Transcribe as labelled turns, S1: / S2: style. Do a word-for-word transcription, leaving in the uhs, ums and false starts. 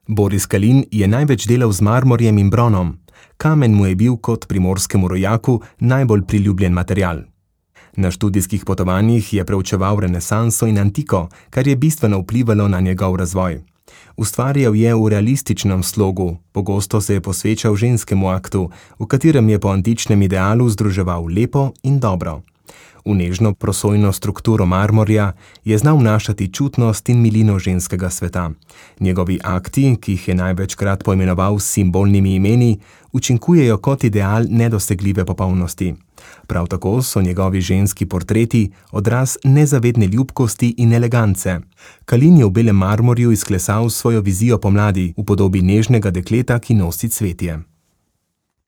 S1: Boris Kalin je največ delal z marmorjem in bronom. Kamen mu je bil kot primorskemu rojaku najbolj priljubljen material. Na študijskih potovanjih je preučeval renesanso in antiko, kar je bistveno vplivalo na njegov razvoj. Ustvarjal je v realističnem slogu, pogosto se je posvečal ženskemu aktu, v katerem je po antičnem idealu združeval lepo in dobro. V nežno prosojno strukturo marmorja je znal vnašati čutnost in milino ženskega sveta. Njegovi akti, ki jih je največkrat poimenoval s simbolnimi imeni, učinkujejo kot ideal nedosegljive popolnosti. Prav tako so njegovi ženski portreti odraz nezavedne ljubkosti in elegance. Kalin je v belem marmorju izklesal svojo vizijo pomladi v podobi nežnega dekleta, ki nosi cvetje.